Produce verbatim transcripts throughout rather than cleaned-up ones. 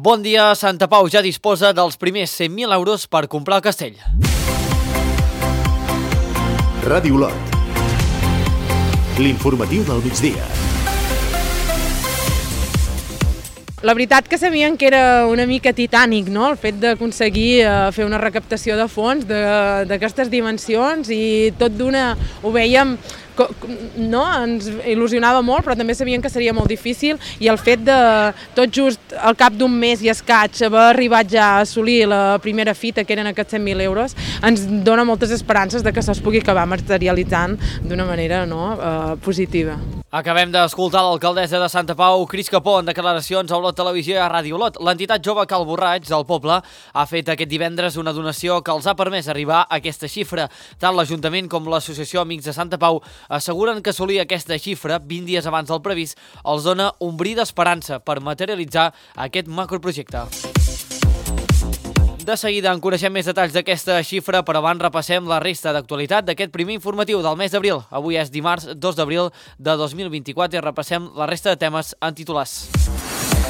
Bon dia, Santa Pau ja disposa dels primers cent mil euros per comprar el castell. Ràdio Olot. L'informatiu del migdia. La veritat que sabien que era una mica titànic, no?, el fet d'aconseguir eh, fer una recaptació de fons d'aquestes dimensions, i tot d'una ho veiem, no?, ens il·lusionava molt, però també sabien que seria molt difícil, i el fet de tot just al cap d'un mes i escaig haver arribat ja a assolir la primera fita, que eren aquests cent mil euros, ens dona moltes esperances de que això es pugui acabar materialitzant d'una manera, no?, eh, positiva. Acabem d'escoltar l'alcaldessa de Santa Pau, Cris Capó, en declaracions a Olot Televisió i a Ràdio Olot. L'entitat jove Cal Borraig del poble ha fet aquest divendres una donació que els ha permès arribar a aquesta xifra. Tant l'Ajuntament com l'Associació Amics de Santa Pau asseguren que assolir aquesta xifra vint dies abans del previst els dona un bri d'esperança per materialitzar aquest macroprojecte. De seguida en coneixem més detalls d'aquesta xifra, però abans repassem la resta d'actualitat d'aquest primer informatiu del mes d'abril. Avui és dimarts dos d'abril de dos mil vint-i-quatre i repassem la resta de temes en titulars.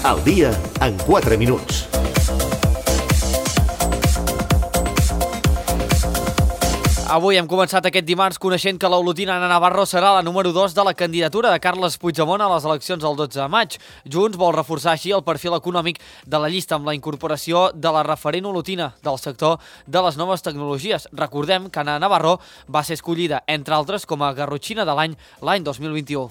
Al dia en quatre minuts. Avui hem començat aquest dimarts coneixent que l'olotina Ana Navarro serà la número dos de la candidatura de Carles Puigdemont a les eleccions del dotze de maig. Junts vol reforçar així el perfil econòmic de la llista amb la incorporació de la referent olotina del sector de les noves tecnologies. Recordem que Ana Navarro va ser escollida, entre altres, com a garrotxina de l'any l'any dos mil vint-i-u.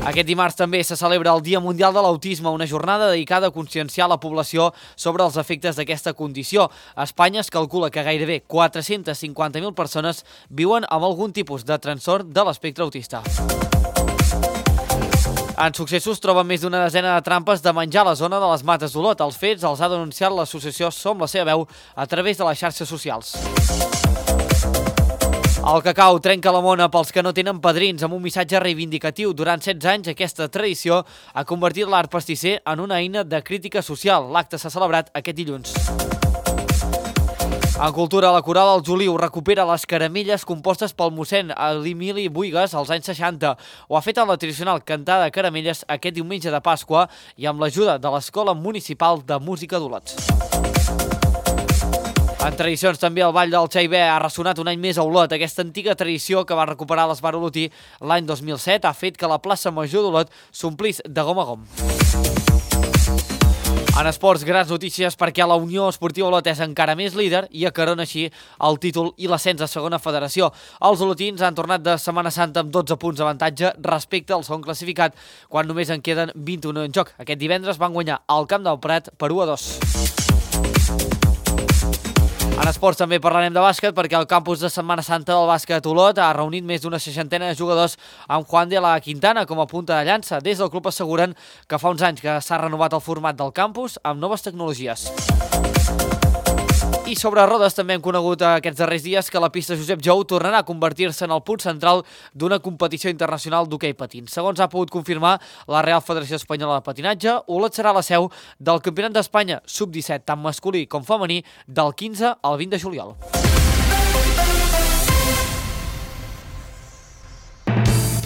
Aquest dimarts també se celebra el Dia Mundial de l'Autisme, una jornada dedicada a conscienciar la població sobre els efectes d'aquesta condició. A Espanya es calcula que gairebé quatre-centes cinquanta mil persones viuen amb algun tipus de trastorn de l'espectre autista. En successos troben més d'una desena de trampes de menjar a la zona de les Mates d'Olot. Els fets els ha denunciat l'associació Som la seva veu a través de les xarxes socials. El cacau trenca la mona pels que no tenen padrins amb un missatge reivindicatiu. Durant setze anys, aquesta tradició ha convertit l'art pastisser en una eina de crítica social. L'acte s'ha celebrat aquest dilluns. En cultura, la Coral del Juliu recupera les caramelles compostes pel mossèn Emili Buigas als anys seixanta. Ho ha fet en la tradicional cantada de caramelles aquest diumenge de Pasqua i amb l'ajuda de l'Escola Municipal de Música d'Olot. En tradicions també el Ball del Xaibé ha ressonat un any més a Olot. Aquesta antiga tradició que va recuperar l'Esbar olotí l'any dos mil set ha fet que la plaça Major d'Olot s'omplís de gom a gom. En esports, grans notícies perquè la Unió Esportiva Olot és encara més líder i acarona així el títol i l'ascens a segona federació. Els olotins han tornat de Setmana Santa amb dotze punts d'avantatge respecte al segon classificat, quan només en queden vint-i-un en joc. Aquest divendres van guanyar al Camp del Prat per u a dos. En esports també parlarem de bàsquet perquè el campus de Setmana Santa del bàsquet Olot ha reunit més d'una seixantena de jugadors amb Juan de la Quintana com a punta de llança. Des del club asseguren que fa uns anys que s'ha renovat el format del campus amb noves tecnologies. I sobre rodes també hem conegut aquests darrers dies que la pista Josep Jou tornarà a convertir-se en el punt central d'una competició internacional d'hoquei patins. Segons ha pogut confirmar la Real Federació Espanyola de Patinatge, Olot serà la seu del Campionat d'Espanya sub disset, tant masculí com femení, del quinze al vint de juliol.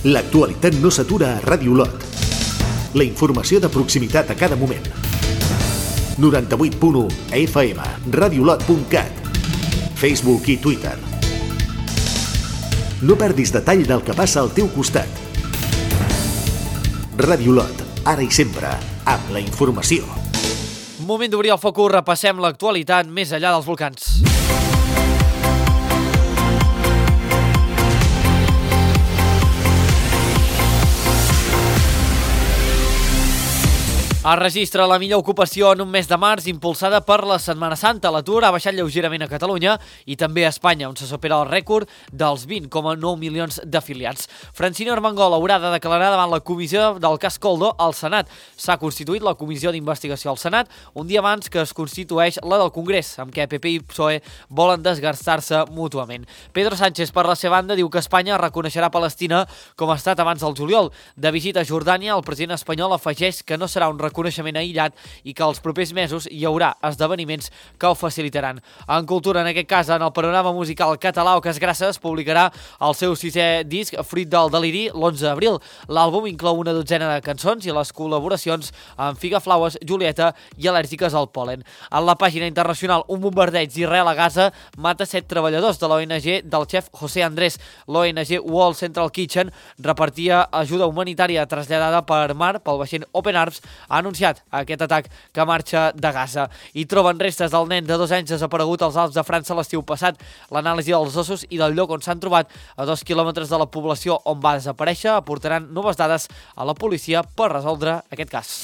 L'actualitat no s'atura a Ràdio Olot. La informació de proximitat a cada moment. noranta-vuit punt u a F M, radiolot punt cat, Facebook i Twitter. No perdis detall del que passa al teu costat. Ràdio Olot, ara i sempre, amb la informació. Moment d'obrir el focus, repassem l'actualitat més enllà dels volcans. Es registra la millor ocupació en un mes de març impulsada per la Setmana Santa. L'atur ha baixat lleugerament a Catalunya i també a Espanya, on se supera el rècord dels vint coma nou milions d'afiliats. Francino Armengol haurà de declarar davant la comissió del cas Coldo al Senat. S'ha constituït la comissió d'investigació al Senat un dia abans que es constitueix la del Congrés, amb què P P i P S O E volen desgastar-se mútuament. Pedro Sánchez, per la seva banda, diu que Espanya reconeixerà Palestina com a estat abans del juliol. De visita a Jordània, el president espanyol afegeix que no serà un reconeixement coneixement aïllat i que els propers mesos hi haurà esdeveniments que ho facilitaran. En cultura, en aquest cas, en el panorama musical català, Oques Grasses publicarà el seu sisè disc, Fruit del Deliri, l'onze d'abril. L'àlbum inclou una dotzena de cançons i les col·laboracions amb Figaflaues, Julieta i Al·lèrgiques al pol·len. En la pàgina internacional, un bombardeig d'Israel a Gaza mata set treballadors de l'O N G del xef José Andrés. L'O N G World Central Kitchen repartia ajuda humanitària traslladada per mar pel vaixell Open Arms, ha anunciat aquest atac que marxa de Gaza. I troben restes del nen de dos anys desaparegut als Alps de França l'estiu passat. L'anàlisi dels ossos i del lloc on s'han trobat a dos quilòmetres de la població on va desaparèixer aportaran noves dades a la policia per resoldre aquest cas.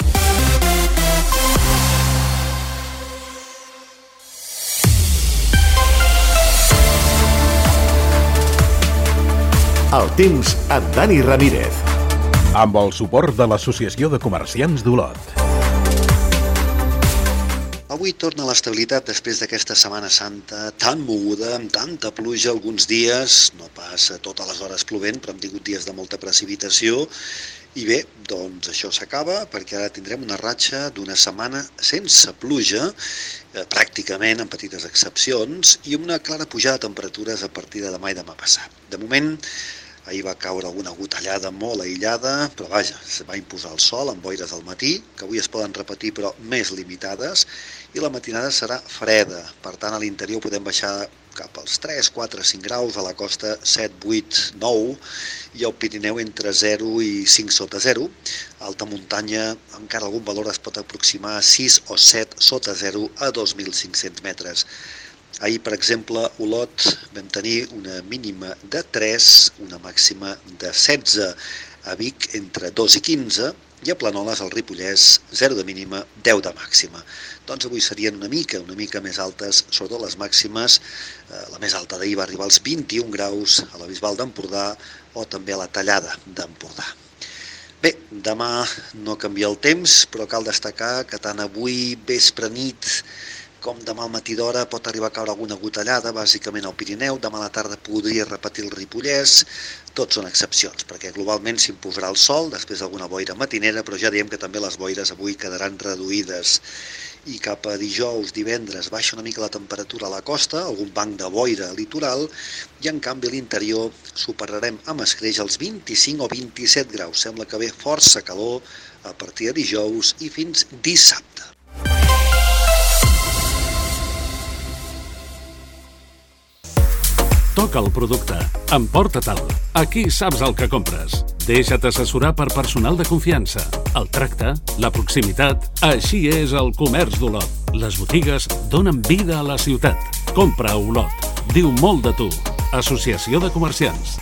El temps amb Dani Ramírez. Amb el suport de l'Associació de Comerciants d'Olot. Avui torna l'estabilitat després d'aquesta Setmana Santa tan moguda, amb tanta pluja alguns dies, no pas totes les hores plovent, però hem tingut dies de molta precipitació. I bé, doncs això s'acaba, perquè ara tindrem una ratxa d'una setmana sense pluja, eh, pràcticament amb petites excepcions, i una clara pujada de temperatures a partir de demà i demà passat. De moment, ahir va caure alguna gotellada molt aïllada, però vaja, se va imposar el sol amb boires al matí, que avui es poden repetir però més limitades, i la matinada serà freda. Per tant, a l'interior podem baixar cap als tres, quatre, cinc graus, a la costa set, vuit, nou, i al Pirineu entre zero i cinc sota zero. A alta muntanya encara algun valor es pot aproximar a sis o set sota zero a dos mil cinc-cents metres. Ahir, per exemple, a Olot vam tenir una mínima de tres, una màxima de setze, a Vic entre dos i quinze, i a Planoles, al Ripollès, zero de mínima, deu de màxima. Doncs avui serien una mica, una mica més altes, sobretot les màximes. La més alta d'ahir va arribar als vint-i-un graus a la Bisbal d'Empordà o també a la Tallada d'Empordà. Bé, demà no canvia el temps, però cal destacar que tant avui, vespre, nit, com demà al matí d'hora pot arribar a caure alguna gotellada, bàsicament al Pirineu. Demà a la tarda podria repetir el Ripollès. Tots són excepcions, perquè globalment s'imposarà el sol, després d'alguna boira matinera, però ja diem que també les boires avui quedaran reduïdes. I cap a dijous, divendres, baixa una mica la temperatura a la costa, algun banc de boira litoral, i en canvi a l'interior superarem amb escreix els vint-i-cinc o vint-i-set graus. Sembla que ve força calor a partir de dijous i fins dissabte. Toca el producte. Emporta-te'l. Aquí saps el que compres. Deixa't assessorar per personal de confiança. El tracte, la proximitat... Així és el comerç d'Olot. Les botigues donen vida a la ciutat. Compra a Olot. Diu molt de tu. Associació de Comerciants.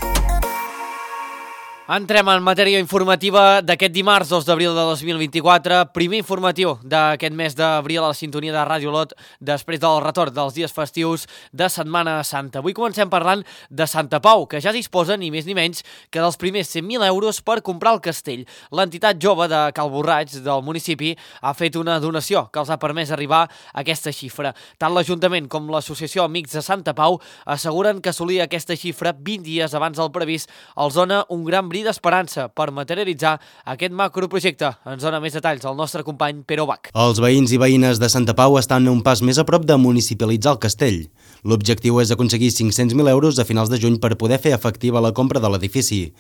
Entrem en matèria informativa d'aquest dimarts dos d'abril de dos mil vint-i-quatre, primer informatiu d'aquest mes d'abril a la sintonia de Ràdio Olot després del retorn dels dies festius de Setmana Santa. Avui comencem parlant de Santa Pau, que ja disposa ni més ni menys que dels primers cent mil euros per comprar el castell. L'entitat jove de Cal Borraig del municipi ha fet una donació que els ha permès arribar a aquesta xifra. Tant l'Ajuntament com l'Associació Amics de Santa Pau asseguren que assolir aquesta xifra vint dies abans del previst els dona un gran bri d'esperança per materialitzar aquest macroprojecte. Ens dona més detalls el nostre company Pere Bach. Els veïns i veïnes de Santa Pau estan un pas més a prop de municipalitzar el castell. L'objectiu és aconseguir cinc-cents mil euros a finals de juny per poder fer efectiva la compra de l'edifici.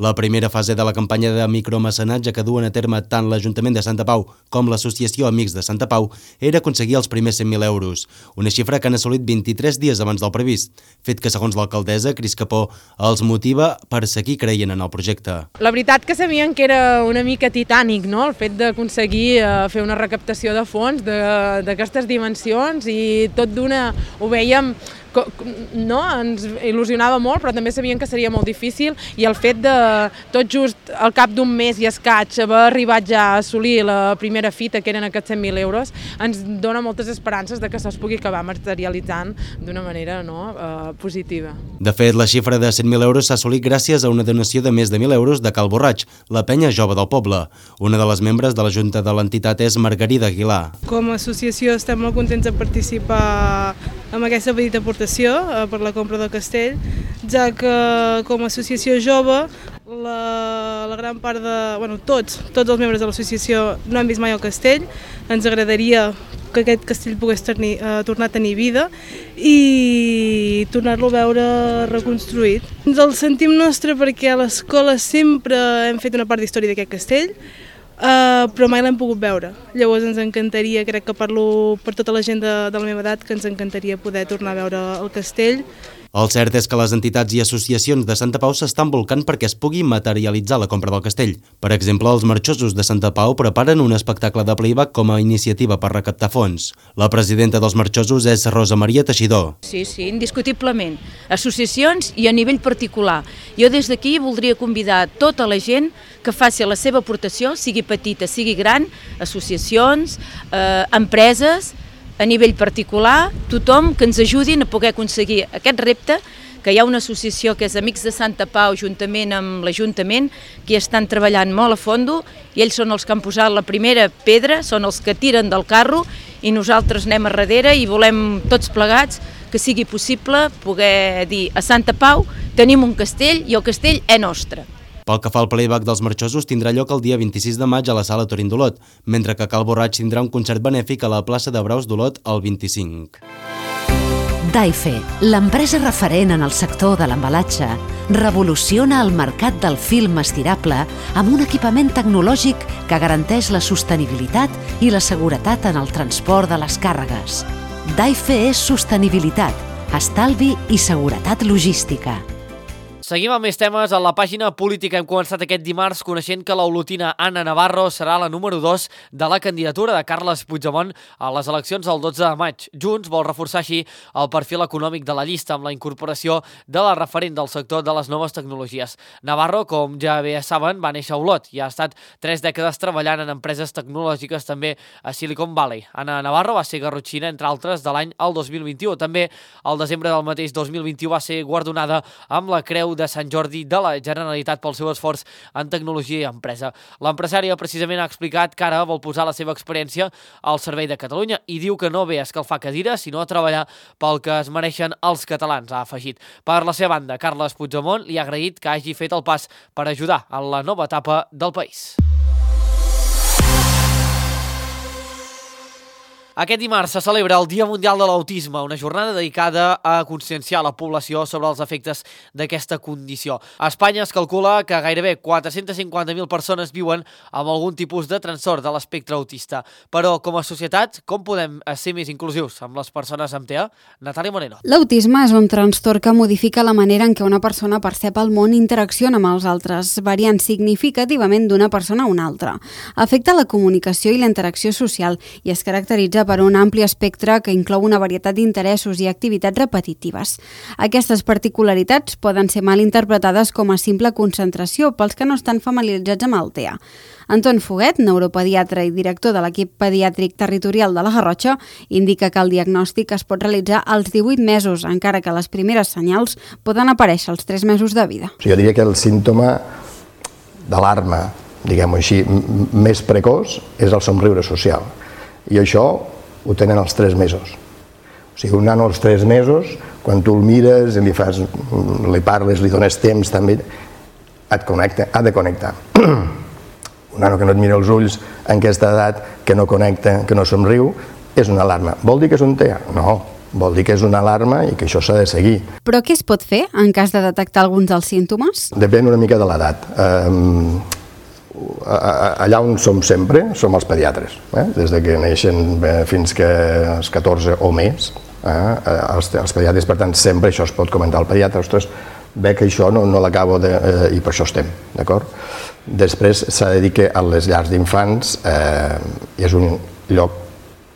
La primera fase de la campanya de micromecenatge que duen a terme tant l'Ajuntament de Santa Pau com l'Associació Amics de Santa Pau era aconseguir els primers cent mil euros, una xifra que han assolit vint-i-tres dies abans del previst, fet que, segons l'alcaldessa, Cris Capó, els motiva per seguir creient en el projecte. La veritat que sabien que era una mica titànic, no?, el fet d'aconseguir eh, fer una recaptació de fons d'aquestes dimensions, i tot d'una ho veiem, no? Ens il·lusionava molt, però també sabíem que seria molt difícil, i el fet de tot just al cap d'un mes i escaig haver arribat ja a assolir la primera fita, que eren aquests cent mil euros, ens dona moltes esperances de que això es pugui acabar materialitzant d'una manera, no?, eh, positiva. De fet, la xifra de cent mil euros s'ha assolit gràcies a una donació de més de mil euros de Cal Borraig, la penya jove del poble. Una de les membres de la junta de l'entitat és Margarida Aguilar. Com a associació estem molt contents de participar amb aquesta petita aportació per la compra del castell, ja que com a associació jove la, la gran part de... Bueno, tots, tots els membres de l'associació no hem vist mai el castell. Ens agradaria que aquest castell pogués tenir, eh, tornar a tenir vida i tornar-lo a veure reconstruït. Ens el sentim nostre perquè a l'escola sempre hem fet una part d'història d'aquest castell, Uh, però mai l'hem pogut veure. Llavors ens encantaria, crec que parlo per tota la gent de, de la meva edat, que ens encantaria poder tornar a veure el castell. El cert és que les entitats i associacions de Santa Pau s'estan volcant perquè es pugui materialitzar la compra del castell. Per exemple, els marxosos de Santa Pau preparen un espectacle de playback com a iniciativa per recaptar fons. La presidenta dels marxosos és Rosa Maria Teixidor. Sí, sí, indiscutiblement. Associacions i a nivell particular. Jo des d'aquí voldria convidar tota la gent que faci la seva aportació, sigui petita, sigui gran, associacions, eh, empreses, a nivell particular, tothom que ens ajudin a poder aconseguir aquest repte, que hi ha una associació que és Amics de Santa Pau, juntament amb l'Ajuntament, que estan treballant molt a fondo, i ells són els que han posat la primera pedra, són els que tiren del carro, i nosaltres anem a darrere i volem tots plegats que sigui possible poder dir a Santa Pau tenim un castell i el castell és nostre. Pel que fa al playback dels marxosos, tindrà lloc el dia vint-i-sis de maig a la sala Torín d'Olot, mentre que Cal Borraig tindrà un concert benèfic a la plaça de Braus d'Olot el vint-i-cinc. Daife, l'empresa referent en el sector de l'embalatge, revoluciona el mercat del film estirable amb un equipament tecnològic que garanteix la sostenibilitat i la seguretat en el transport de les càrregues. Daife és sostenibilitat, estalvi i seguretat logística. Seguim amb més temes. A la pàgina política hem començat aquest dimarts coneixent que l'olotina Anna Navarro serà la número dos de la candidatura de Carles Puigdemont a les eleccions del dotze de maig. Junts vol reforçar així el perfil econòmic de la llista amb la incorporació de la referent del sector de les noves tecnologies. Navarro, com ja bé saben, va néixer a Olot i ha estat tres dècades treballant en empreses tecnològiques també a Silicon Valley. Anna Navarro va ser garrotxina, entre altres, de l'any el dos mil vint-i-u. També al desembre del mateix dos mil vint-i-u va ser guardonada amb la Creu de Sant Jordi de la Generalitat pel seu esforç en tecnologia i empresa. L'empresària precisament ha explicat que ara vol posar la seva experiència al servei de Catalunya i diu que no ve a escalfar cadires, sinó a treballar pel que es mereixen els catalans, ha afegit. Per la seva banda, Carles Puigdemont li ha agraït que hagi fet el pas per ajudar en la nova etapa del país. Aquest dimarts se celebra el Dia Mundial de l'Autisme, una jornada dedicada a conscienciar la població sobre els efectes d'aquesta condició. A Espanya es calcula que gairebé quatre-cents cinquanta mil persones viuen amb algun tipus de trastorn de l'espectre autista. Però, com a societat, com podem ser més inclusius amb les persones amb T E A? Natàlia Moreno. L'autisme és un trastorn que modifica la manera en què una persona percep el món i interacciona amb els altres, variant significativament d'una persona a una altra. Afecta la comunicació i la interacció social i es caracteritza per un ampli espectre que inclou una varietat d'interessos i activitats repetitives. Aquestes particularitats poden ser mal interpretades com a simple concentració pels que no estan familiaritzats amb el T E A. Anton Foguet, neuropediatre i director de l'equip pediàtric territorial de la Garrotxa, indica que el diagnòstic es pot realitzar als divuit mesos, encara que les primeres senyals poden aparèixer als tres mesos de vida. Jo diria que el símptoma d'alarma, diguem-ho així, més precoç és el somriure social. I això ho tenen als tres mesos. O sigui, un nano als tres mesos, quan tu el mires, li fas, li parles, li dones temps, també et connecta, ha de connectar. Un nano que no et mira els ulls en aquesta edat, que no connecta, que no somriu, és una alarma. Vol dir que és un T E A? No, vol dir que és una alarma i que això s'ha de seguir. Però què es pot fer en cas de detectar alguns dels símptomes? Depèn una mica de l'edat. Eh, allà on som sempre som els pediatres, eh? Des de que neixen fins que als catorze o més, eh? els, els pediatres, per tant, sempre això es pot comentar al pediatre, ostres, ve que això no, no l'acabo de... Eh, i per això estem, d'acord? Després s'ha de dir que a les llars d'infants eh, és un lloc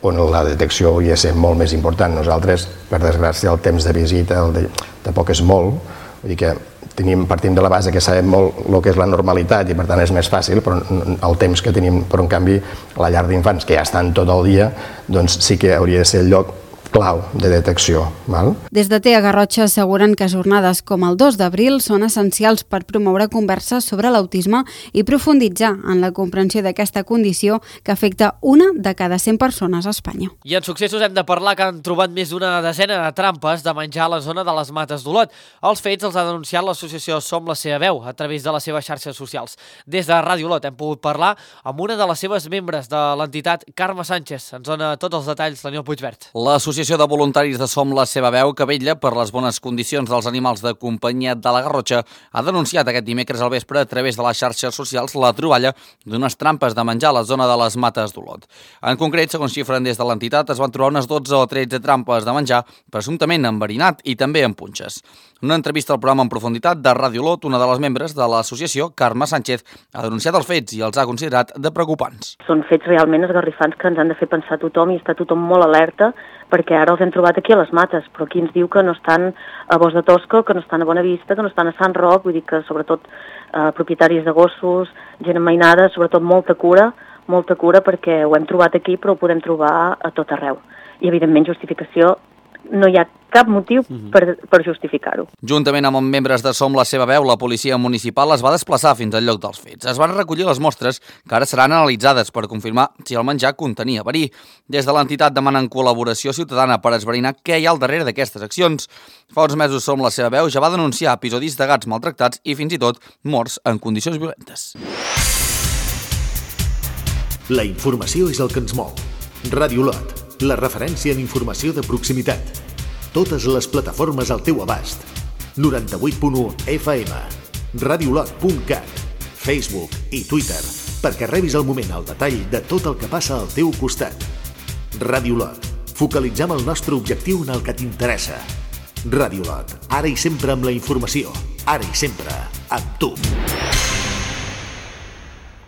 on la detecció hi ha de ser molt més important. Nosaltres, per desgràcia, el temps de visita el de, tampoc és molt, vull dir que tenim, partim de la base que sabem molt el que és la normalitat i per tant és més fàcil, però el temps que tenim, però en canvi la llar d'infants, que ja estan tot el dia, doncs sí que hauria de ser el lloc clau de detecció. Val? Des de T E A Garrotxa asseguren que jornades com el dos d'abril són essencials per promoure converses sobre l'autisme i profunditzar en la comprensió d'aquesta condició que afecta una de cada cent persones a Espanya. I en successos hem de parlar que han trobat més d'una desena de trampes de menjar a la zona de les Mates d'Olot. Els fets els ha denunciat l'associació Som la seva veu a través de les seves xarxes socials. Des de Ràdio Olot hem pogut parlar amb una de les seves membres de l'entitat, Carme Sánchez. Ens dona tots els detalls l'Aniol Puigvert. L'associació de voluntaris de Som la seva veu, que vetlla per les bones condicions dels animals de companyia de la Garrotxa, ha denunciat aquest dimecres al vespre a través de les xarxes socials la troballa d'unes trampes de menjar a la zona de les Mates d'Olot. En concret, segons xifren des de l'entitat, es van trobar unes dotze o tretze trampes de menjar, presumptament enverinat i també amb punxes. En una entrevista al programa En Profunditat de Ràdio Olot, una de les membres de l'associació, Carme Sánchez, ha denunciat els fets i els ha considerat de preocupants. Són fets realment esgarrifants que ens han de fer pensar tothom i està tothom molt alerta, perquè ara els hem trobat aquí a les Mates, però aquí ens diu que no estan a Bos de Tosco, que no estan a Bonavista, que no estan a Sant Roc, vull dir que sobretot eh, propietaris de gossos, gent emmainada, sobretot molta cura, molta cura perquè ho hem trobat aquí però ho podem trobar a tot arreu. I evidentment justificació, no hi ha cap motiu per, per justificar-ho. Juntament amb membres de Som la seva veu, la policia municipal es va desplaçar fins al lloc dels fets. Es van recollir les mostres que ara seran analitzades per confirmar si el menjar contenia verí. Des de l'entitat demanen col·laboració ciutadana per esbrinar què hi ha al darrere d'aquestes accions. Fa uns mesos Som la seva veu ja va denunciar episodis de gats maltractats i fins i tot morts en condicions violentes. La informació és el que ens mou. Ràdio Olot, la referència en informació de proximitat. Totes les plataformes al teu abast. noranta-vuit punt u F M, radiolot punt cat, Facebook i Twitter, perquè rebis al moment el detall de tot el que passa al teu costat. Ràdio Olot, focalitzem el nostre objectiu en el que t'interessa. Ràdio Olot, ara i sempre amb la informació, ara i sempre amb tu.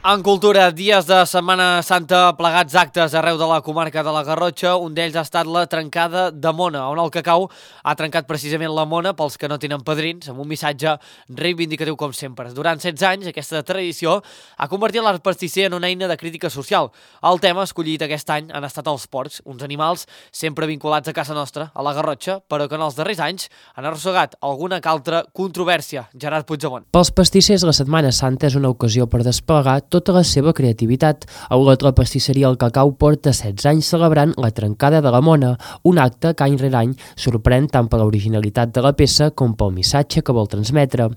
En cultura, dies de Setmana Santa plegats actes arreu de la comarca de la Garrotxa. Un d'ells ha estat la trencada de Mona, on el cacau ha trencat precisament la Mona pels que no tenen padrins, amb un missatge reivindicatiu com sempre. Durant setze anys, aquesta tradició ha convertit l'art pastisser en una eina de crítica social. El tema escollit aquest any han estat els porcs, uns animals sempre vinculats a casa nostra, a la Garrotxa, però que en els darrers anys han arrossegat alguna que altra controvèrsia. Gerard Puigdemont. Pels pastissers, la Setmana Santa és una ocasió per desplegar tota la seva creativitat. A Olot, la pastisseria El Cacau porta setze anys celebrant la trencada de la Mona, un acte que any rere any sorprèn tant per l'originalitat de la peça com pel missatge que vol transmetre.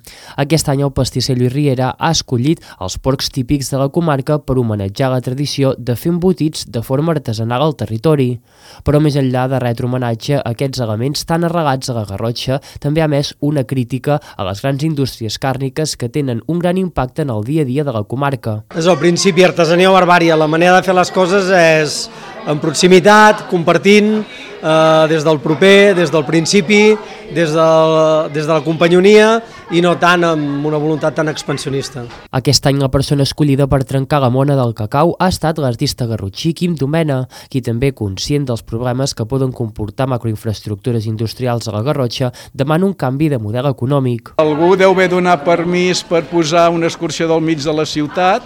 Aquest any el pastisser Lluís Riera ha escollit els porcs típics de la comarca per homenatjar la tradició de fer embotits de forma artesanal al territori. Però més enllà de retre homenatge a aquests elements tan arrelats a la Garrotxa, també ha emès una crítica a les grans indústries càrniques que tenen un gran impacte en el dia a dia de la comarca. És el principi artesania o barbària. La manera de fer les coses és en proximitat, compartint, eh, des del proper, des del principi, des de, des de la companyonia i no tant amb una voluntat tan expansionista. Aquest any la persona escollida per trencar la Mona del cacau ha estat l'artista garrotxí Quim Domena, qui també, conscient dels problemes que poden comportar macroinfraestructures industrials a la Garrotxa, demana un canvi de model econòmic. Algú deu haver donat permís per posar una excursió del mig de la ciutat,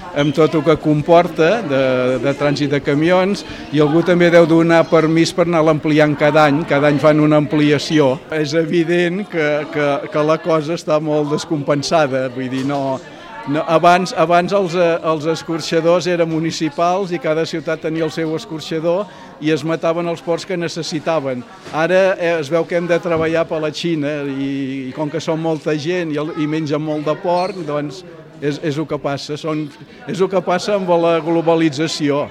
amb tot el que comporta de, de trànsit de camions, i algú també deu donar permís per anar ampliant cada any, cada any fan una ampliació. És evident que, que, que la cosa està molt descompensada, vull dir, no, no, abans, abans els, els escorxadors eren municipals i cada ciutat tenia el seu escorxador i es mataven els porcs que necessitaven. Ara es veu que hem de treballar per la Xina i, i com que som molta gent i, i mengen molt de porc, doncs És, és el que passa, són, és el que passa amb la globalització.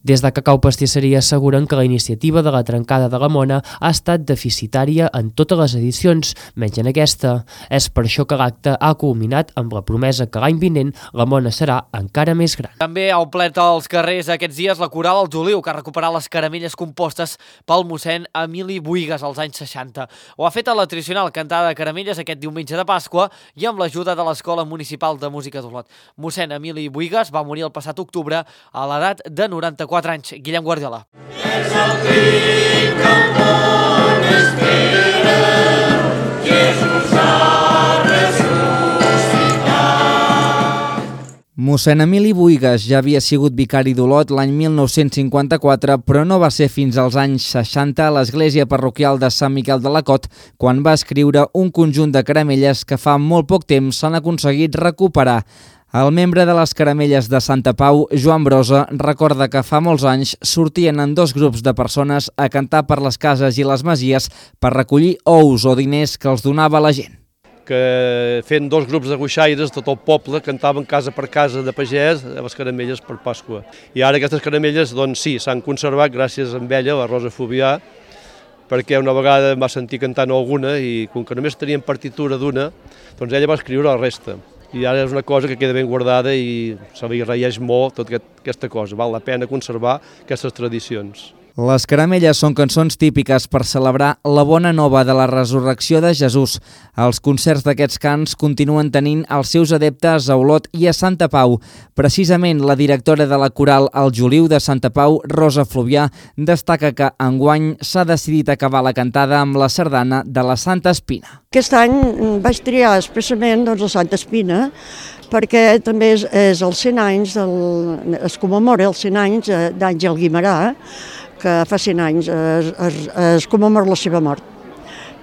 Des de Cacau Pastisseria asseguren que la iniciativa de la trencada de la Mona ha estat deficitària en totes les edicions, menys en aquesta. És per això que l'acte ha culminat amb la promesa que l'any vinent la Mona serà encara més gran. També ha omplert als carrers aquests dies la Coral Els Oliu, que ha recuperat les caramelles compostes pel mossèn Emili Buigas als anys seixanta. Ho ha fet a la tradicional cantada de caramelles aquest diumenge de Pasqua i amb l'ajuda de l'Escola Municipal de Música d'Olot. Mossèn Emili Buigas va morir el passat octubre a l'edat de noranta-quatre anys. Guillem Guardiola. És el crit que el món espera, Jesús ha ressuscitat. Mossèn Emili Buigas ja havia sigut vicari d'Olot l'any mil nou-cents cinquanta-quatre, però no va ser fins als anys seixanta a l'església parroquial de Sant Miquel de la Cot quan va escriure un conjunt de caramelles que fa molt poc temps s'han aconseguit recuperar. El membre de les caramelles de Santa Pau, Joan Brosa, recorda que fa molts anys sortien en dos grups de persones a cantar per les cases i les masies per recollir ous o diners que els donava la gent. Que fent dos grups de guixaires, tot el poble cantaven casa per casa de pagès les caramelles per Pasqua. I ara aquestes caramelles, doncs sí, s'han conservat gràcies a ella, la Rosa Fobià, perquè una vegada em va sentir cantant alguna i com que només tenien partitura d'una, doncs ella va escriure la resta. I ara és una cosa que queda ben guardada i se li agraeix molt tota aquesta cosa. Val la pena conservar aquestes tradicions. Les caramelles són cançons típiques per celebrar la bona nova de la resurrecció de Jesús. Els concerts d'aquests cants continuen tenint els seus adeptes a Olot i a Santa Pau. Precisament la directora de la coral El Juliu de Santa Pau, Rosa Fluvià, destaca que enguany s'ha decidit acabar la cantada amb la sardana de la Santa Espina. Aquest any vaig triar expressament doncs, la Santa Espina perquè també és, és els cent anys, del, es commemora els cent anys d'Àngel Guimerà, que fa cent anys es, es, es commemora la seva mort.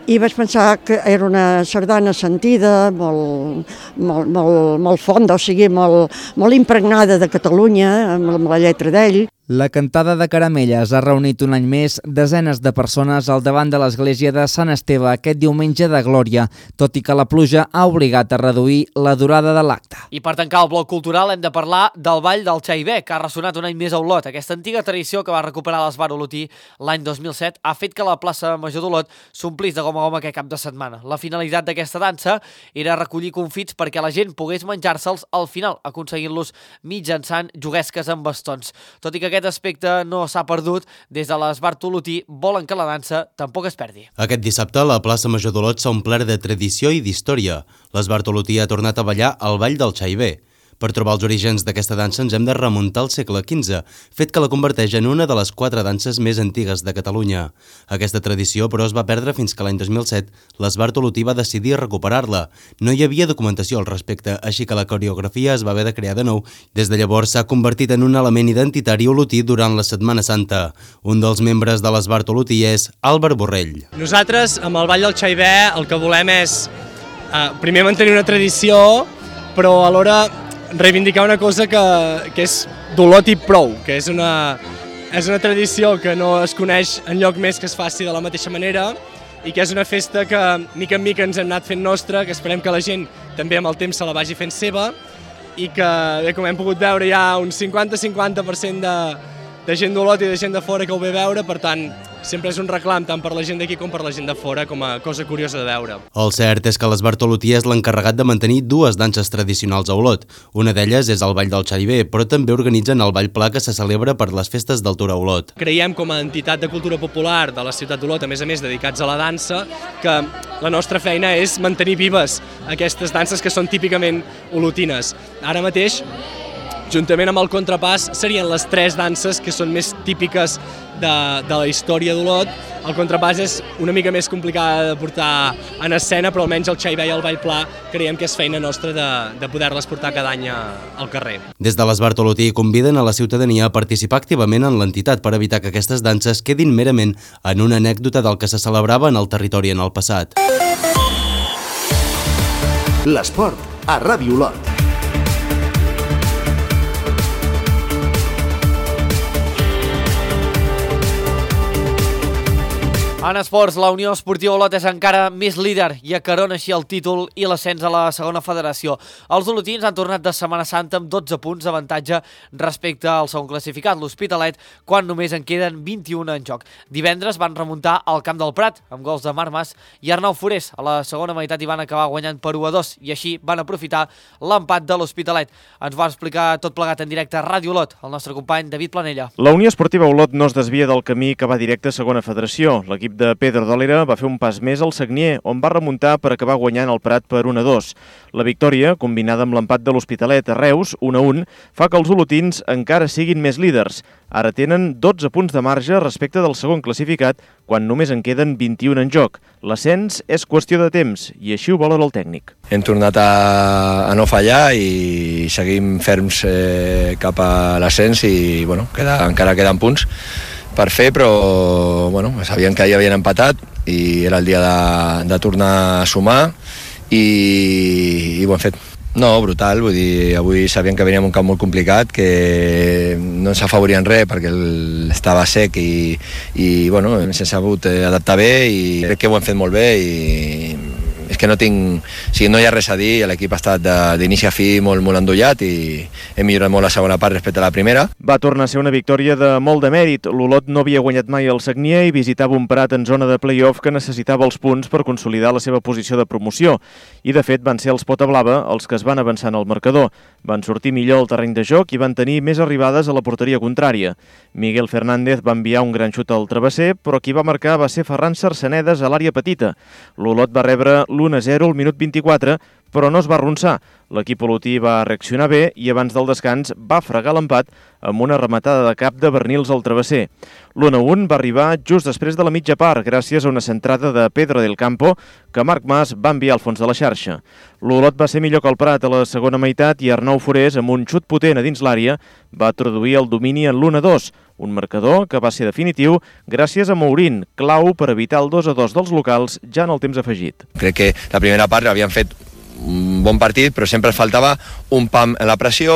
I vaig pensar que era una sardana sentida, molt, molt, molt, molt fonda, o sigui, molt, molt impregnada de Catalunya, amb, amb la lletra d'ell. La cantada de caramelles ha reunit un any més desenes de persones al davant de l'església de Sant Esteve aquest diumenge de Glòria, tot i que la pluja ha obligat a reduir la durada de l'acte. I per tancar el bloc cultural hem de parlar del Ball del Xaibé, que ha ressonat un any més a Olot. Aquesta antiga tradició que va recuperar l'Esbar Olotí l'any dos mil set ha fet que la plaça Major d'Olot s'omplís de gom a gom aquest cap de setmana. La finalitat d'aquesta dansa era recollir confits perquè la gent pogués menjar-se'ls al final, aconseguint-los mitjançant juguesques amb bastons. Tot i que aquest aspecte no s'ha perdut, des de l'Esbar Olotí volen que la dansa tampoc es perdi. Aquest dissabte la plaça Major d'Olot s'ha omplert de tradició i d'història. L'Esbar Olotí ha tornat a ballar al Ball del Xaibé. Per trobar els orígens d'aquesta dansa ens hem de remuntar al segle quinze, fet que la converteix en una de les quatre danses més antigues de Catalunya. Aquesta tradició, però, es va perdre fins que l'any dos mil set l'Esbar Olotí va decidir recuperar-la. No hi havia documentació al respecte, així que la coreografia es va haver de crear de nou. Des de llavors s'ha convertit en un element identitari olotí durant la Setmana Santa. Un dels membres de l'Esbar Olotí és Àlvar Borrell. Nosaltres, amb el Ball del Xaibé, el que volem és eh, primer mantenir una tradició, però alhora reivindicar una cosa que, que és d'Olot i prou, que és una, és una tradició que no es coneix enlloc més que es faci de la mateixa manera i que és una festa que mica en mica ens hem anat fent nostra, que esperem que la gent també amb el temps se la vagi fent seva i que, bé, com hem pogut veure, hi ha un cinquanta cinquanta per cent de, de gent d'Olot i de gent de fora que ho ve a veure, per tant, sempre és un reclam tant per la gent d'aquí com per la gent de fora, com a cosa curiosa de veure. El cert és que l'Esbar Olotí és l'encarregat de mantenir dues danses tradicionals a Olot. Una d'elles és el Ball del Xaibé, però també organitzen el Ball Pla que se celebra per les festes d'altura a Olot. Creiem com a entitat de cultura popular de la ciutat d'Olot, a més a més dedicats a la dansa, que la nostra feina és mantenir vives aquestes danses que són típicament olotines. Ara mateix, juntament amb el contrapàs, serien les tres danses que són més típiques de, de la història d'Olot. El contrapàs és una mica més complicada de portar en escena, però almenys el Xaibé i el Ball Pla creiem que és feina nostra de, de poder-les portar cada any al carrer. Des de l'Esbar Olotí conviden a la ciutadania a participar activament en l'entitat per evitar que aquestes danses quedin merament en una anècdota del que se celebrava en el territori en el passat. L'esport a Ràdio Olot. En esports, la Unió Esportiva Olot és encara més líder i acarona així el títol i l'ascens a la segona federació. Els olotins han tornat de Setmana Santa amb dotze punts d'avantatge respecte al segon classificat, l'Hospitalet, quan només en queden vint-i-un en joc. Divendres van remuntar al Camp del Prat amb gols de Marc Mas i Arnau Forés. A la segona meitat hi van acabar guanyant per u a dos i així van aprofitar l'empat de l'Hospitalet. Ens va explicar tot plegat en directe a Ràdio Olot, el nostre company David Planella. La Unió Esportiva Olot no es desvia del camí que va directe a segona federació. L'equip L'equip de Pedro Dòlera va fer un pas més al Sagnier, on va remuntar per acabar guanyant el Prat per un a dos. La victòria, combinada amb l'empat de l'Hospitalet a Reus, un a un, fa que els olotins encara siguin més líders. Ara tenen dotze punts de marge respecte del segon classificat, quan només en queden vint-i-un en joc. L'ascens és qüestió de temps, i així ho valora el tècnic. Hem tornat a, a no fallar i seguim ferms eh, cap a l'ascens i bueno, queda, encara queden punts per fer, però bueno, sabíem que ja havien empatat i era el dia de, de tornar a sumar i, i ho hem fet. No, brutal, vull dir, avui sabíem que veníem un camp molt complicat, que no ens afavorien res perquè el, estava sec i, i bueno, ens hem sabut adaptar bé i crec que ho hem fet molt bé i és que no tinc, o sigui, no hi ha res a dir, l'equip ha estat d'inici a fi molt, molt endollat i hem millorat molt la segona part respecte a la primera. Va tornar a ser una victòria de molt de mèrit. L'Olot no havia guanyat mai el Sagnier i visitava un Prat en zona de play-off que necessitava els punts per consolidar la seva posició de promoció. I de fet van ser els Pota Blava els que es van avançar en el marcador. Van sortir millor al terreny de joc i van tenir més arribades a la porteria contrària. Miguel Fernández va enviar un gran xut al travesser, però qui va marcar va ser Ferran Sarsenedes a l'àrea petita. L'Olot va rebre l'u a zero al minut vint-i-quatre, però no es va arronsar. L'equip olotí va reaccionar bé i abans del descans va fregar l'empat amb una rematada de cap de Bernils al travesser. L'u a un va arribar just després de la mitja part, gràcies a una centrada de Pedro del Campo que Marc Mas va enviar al fons de la xarxa. L'Olot va ser millor que el Prat a la segona meitat i Arnau Forés, amb un xut potent a dins l'àrea, va traduir el domini en l'u a dos, un marcador que va ser definitiu gràcies a Mourín, clau per evitar el dos a dos dels locals ja en el temps afegit. Crec que la primera part l'havien fet un bon partit, però sempre faltava un pam en la pressió,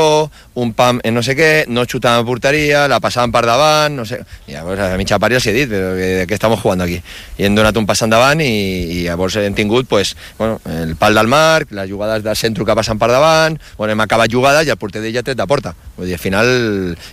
un pam en no sé què, no xutaven a porteria, la passaven per davant, no sé. I llavors a mitja part ja els he dit, però de què estem jugant aquí? I hem donat un pas endavant i, i llavors hem tingut pues, bueno, el pal del marc, les jugades del centre que passen per davant, bueno, hem acabat jugades i el porter d'ell ja ha tret de porta. Vull dir, al final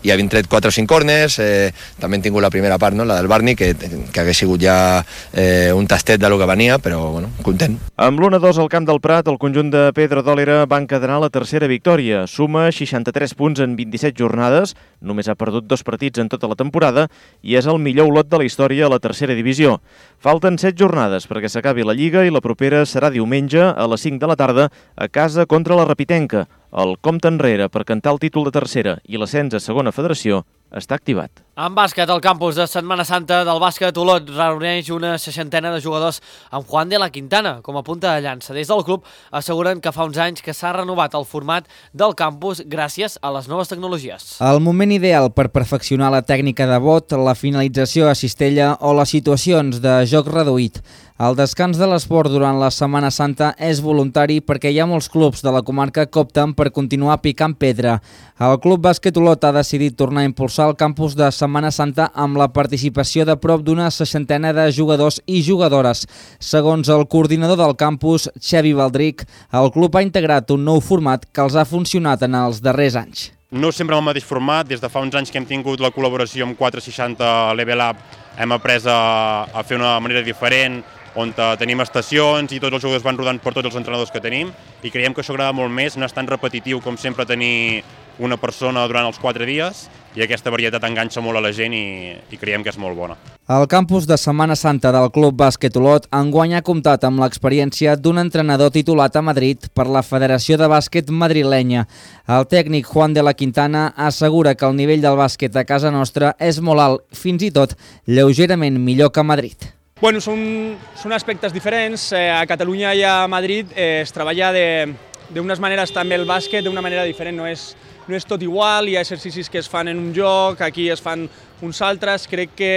ja havien tret quatre o cinc corners, eh, també hem tingut la primera part, no? La del Barni, que, que hagués sigut ja eh, un tastet de lo que venia, però bueno, content. Amb l'u a dos al camp del Prat, el conjunt de Pedro Dòlera va encadenar la tercera victòria. Suma seixanta-tres punts en vint-i-set jornades, només ha perdut dos partits en tota la temporada i és el millor Olot de la història a la tercera divisió. Falten set jornades perquè s'acabi la Lliga i la propera serà diumenge a les cinc de la tarda a casa contra la Rapitenca. El compte enrere per cantar el títol de tercera i l'ascens a segona federació està activat. En bàsquet, el campus de Setmana Santa del bàsquet Olot reuneix una seixantena de jugadors amb Juan de la Quintana com a punta de llança. Des del club asseguren que fa uns anys que s'ha renovat el format del campus gràcies a les noves tecnologies. El moment ideal per perfeccionar la tècnica de bot, la finalització a cistella o les situacions de joc reduït. El descans de l'esport durant la Setmana Santa és voluntari perquè hi ha molts clubs de la comarca que opten per continuar picant pedra. El Club Bàsquet Olot ha decidit tornar a impulsar el campus de Setmana Santa amb la participació de prop d'una seixantena de jugadors i jugadores. Segons el coordinador del campus, Xavi Baldric, el club ha integrat un nou format que els ha funcionat en els darrers anys. No sempre el mateix format, des de fa uns anys que hem tingut la col·laboració amb quatre seixanta Level Up, hem après a, a fer una manera diferent, on tenim estacions i tots els jugadors van rodant per tots els entrenadors que tenim i creiem que això agrada molt més, no és tan repetitiu com sempre tenir una persona durant els quatre dies i aquesta varietat enganxa molt a la gent i, i creiem que és molt bona. El campus de Setmana Santa del Club Bàsquet Olot enguany ha comptat amb l'experiència d'un entrenador titulat a Madrid per la Federació de Bàsquet madrilenya. El tècnic Juan de la Quintana assegura que el nivell del bàsquet a casa nostra és molt alt, fins i tot lleugerament millor que a Madrid. Bueno, són, són aspectes diferents. Eh, a Catalunya i a Madrid eh, es treballa d'unes maneres també el bàsquet d'una manera diferent. No és, no és tot igual, hi ha exercicis que es fan en un joc, aquí es fan uns altres. Crec que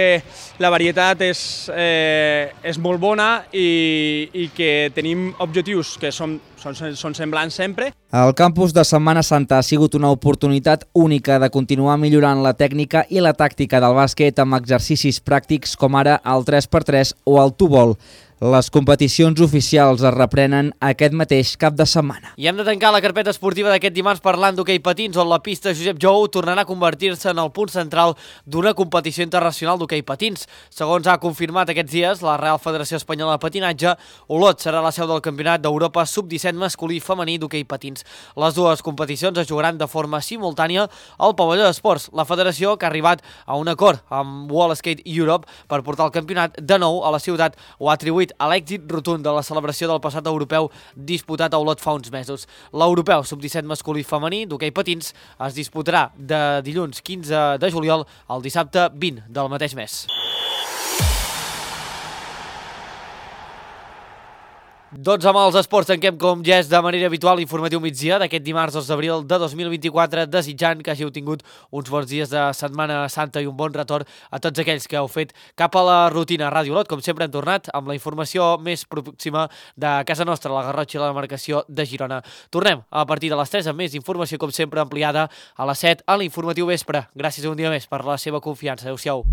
la varietat és, eh, és molt bona i, i que tenim objectius que són, són, són semblants sempre. El campus de Setmana Santa ha sigut una oportunitat única de continuar millorant la tècnica i la tàctica del bàsquet amb exercicis pràctics com ara el tres per tres o el two-ball. Les competicions oficials es reprenen aquest mateix cap de setmana. I hem de tancar la carpeta esportiva d'aquest dimarts parlant d'hoquei patins, on la pista Josep Jou tornarà a convertir-se en el punt central d'una competició internacional d'hoquei patins. Segons ha confirmat aquests dies la Real Federació Espanyola de Patinatge, Olot serà la seu del Campionat d'Europa sub disset masculí i femení d'hoquei patins. Les dues competicions es jugaran de forma simultània al pavelló d'esports. La federació, que ha arribat a un acord amb World Skate Europe per portar el campionat de nou a la ciutat, ho ha atribuït a l'èxit rotund de la celebració del passat europeu disputat a Olot fa uns mesos. L'europeu sub disset masculí i femení d'hoquei patins es disputarà de dilluns quinze de juliol al dissabte vint del mateix mes. Doncs amb els esports tanquem com ja és de manera habitual l'informatiu migdia d'aquest dimarts dos d'abril de dos mil vint-i-quatre, desitjant que hàgiu tingut uns bons dies de Setmana Santa i un bon retorn a tots aquells que heu fet cap a la rutina. Ràdio Olot, com sempre, hem tornat amb la informació més pròxima de casa nostra, la Garrotxa i la demarcació de Girona. Tornem a partir de les tres amb més informació, com sempre, ampliada a les set a l'informatiu vespre. Gràcies un dia més per la seva confiança. Adéu-siau.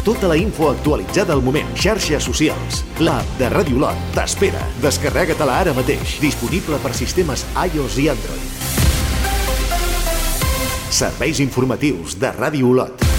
Tota la info actualitzada al moment. Xarxes socials. L'app de Ràdio Olot t'espera. Descarrega-te-la ara mateix. Disponible per sistemes iOS i Android. Serveis informatius de Ràdio Olot.